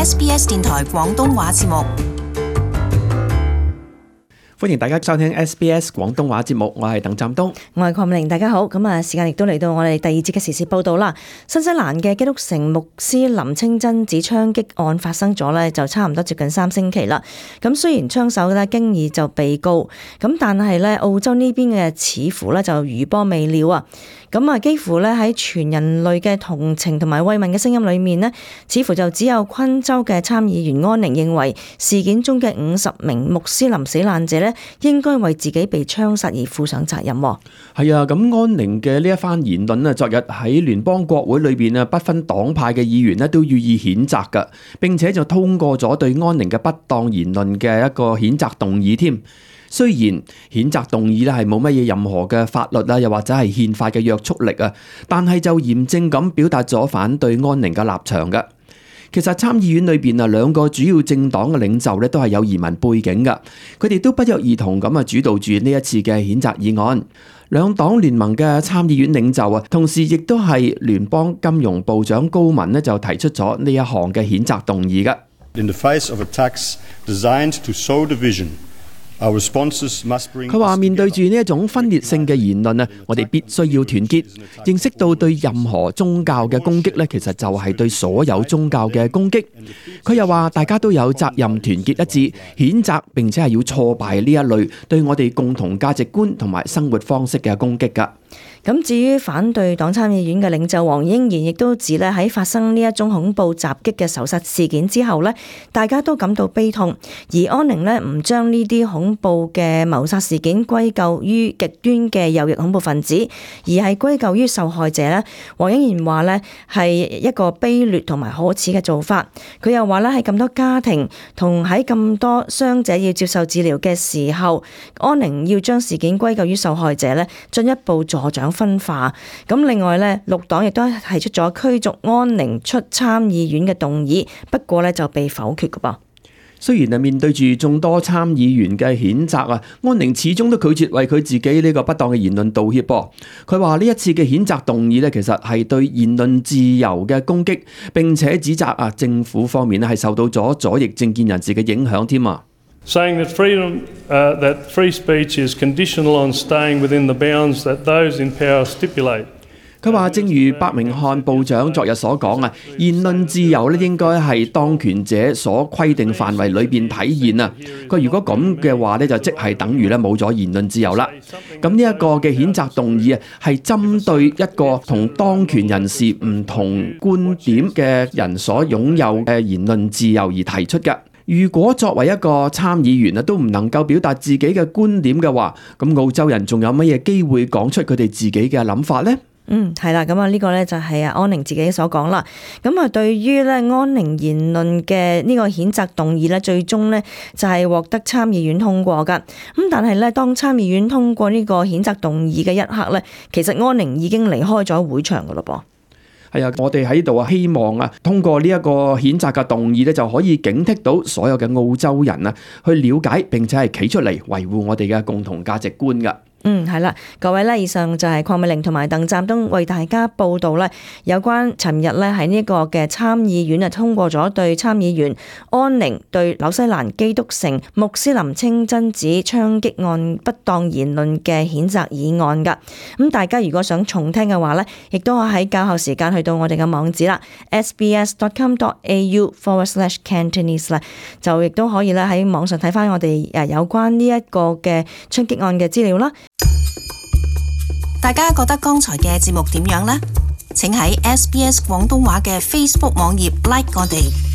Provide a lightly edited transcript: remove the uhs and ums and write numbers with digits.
SBS 電台廣東話節目。歡迎大家收聽 SBS 廣東話節目，我係鄧湛東，我係鄺美玲，大家好。咁時間亦都嚟到我哋第二節嘅時事報道啦。新西蘭嘅基督城穆斯林清真寺槍擊案發生咗呢，就差唔多接近3星期啦。咁雖然槍手呢經已就被告，咁但係呢澳洲呢邊嘅似乎呢就餘波未了啊。咁幾乎呢喺全人類嘅同情同埋慰問嘅聲音裏面呢，似乎就只有昆州嘅參議員安寧認為事件中嘅50名穆斯林死難者呢應該為自己被槍殺而負上責任。係啊，咁安寧嘅呢一番言論啊，昨日喺聯邦國會裏邊啊，不分黨派嘅議員呢都予以譴責噶，並且就通過咗對安寧嘅不當言論嘅一個譴責動議添。雖然譴責動議咧係冇乜嘢任何嘅法律啊，又或者係憲法嘅約束力啊，但係就嚴正咁表達咗反對安寧嘅立場嘅。其實參議院裏邊啊，兩個主要政黨嘅領袖咧都係有移民背景噶，佢哋都不約而同咁主導住呢一次嘅譴責議案。兩黨聯盟嘅參議院領袖啊，同時亦都係聯邦金融部長高文呢就提出咗呢一項嘅譴責動議嘅。In the face of attacks designed to sow division,佢話面對住呢一種分裂性嘅言論啊，我哋必須要團結，認識到對任何宗教嘅攻擊呢，其實就係對所有宗教嘅攻擊。佢又話大家都有責任團結一致，譴責並且係要挫敗呢一類對我哋共同價值觀同埋生活方式嘅攻擊㗎。咁至於反對黨參議院嘅領袖黃英賢亦都指咧，喺發生呢一宗恐怖襲擊嘅仇殺事件之後呢，大家都感到悲痛，而安寧呢唔將呢啲恐怖嘅謀殺事件歸咎於極端嘅右翼恐怖分子，而係歸咎於受害者呢。黃英賢話呢係一個卑劣同埋可恥嘅做法。佢又話呢喺咁多家庭同喺咁多傷者要接受治療嘅時候，安寧要將事件歸咎於受害者呢，進一步助長分化。咁另外呢，綠黨亦都提出咗驅逐安寧出參議院嘅動議，不過呢就被否決㗎噃。雖然面對住眾多參議員嘅譴責啊，安寧始終都拒絕為佢自己呢個不當嘅言論道歉噃。佢話呢一次嘅譴責動議呢，其實係對言論自由嘅攻擊，並且指責政府方面係受到咗左翼政見人士嘅影響添啊。Saying that free speech is conditional on staying within the bounds that those in power stipulate。佢話正如伯明翰部長昨日所講啊，言論自由咧應該係當權者所規定範圍裏邊體現啊。佢如果咁嘅話咧，就即係等於咧冇咗言論自由啦。咁呢一個嘅譴責動議啊，係針對一個同當權人士唔同觀點嘅人所擁有嘅言論自由而提出嘅。如果作為一個參議員啊，都唔能夠表達自己嘅觀點嘅話，咁澳洲人仲有乜嘢機會講出佢哋自己嘅諗法呢？係啦，咁呢個呢就係安寧自己所講啦。咁對於咧安寧言論嘅呢個譴責動議呢，最終呢就係獲得參議院通過噶。咁但係呢，當參議院通過呢個譴責動議嘅一刻呢，其實安寧已經離開咗會場噶咯噃。係啊，我哋喺度希望通過呢一個譴責嘅動議呢，就可以警惕到所有嘅澳洲人去了解並且係企出嚟維護我哋嘅共同價值觀噶。係啦，各位呢，以上就係鄺美玲同埋鄧湛東為大家報道呢有關尋日呢喺呢個嘅參議院通過咗對參議員安寧對紐西蘭基督城穆斯林清真寺槍擊案不當言論嘅譴責議案噶。咁大家如果想重聽嘅話呢，亦都可以喺較後時間去到我哋嘅網址啦 sbs.com.au/Cantonese 就亦都可以咧喺網上睇翻我哋有關呢一個嘅槍擊案嘅資料啦。大家覺得剛才嘅節目點樣呢？請喺 SBS 廣東話嘅 Facebook 網頁 like 我哋。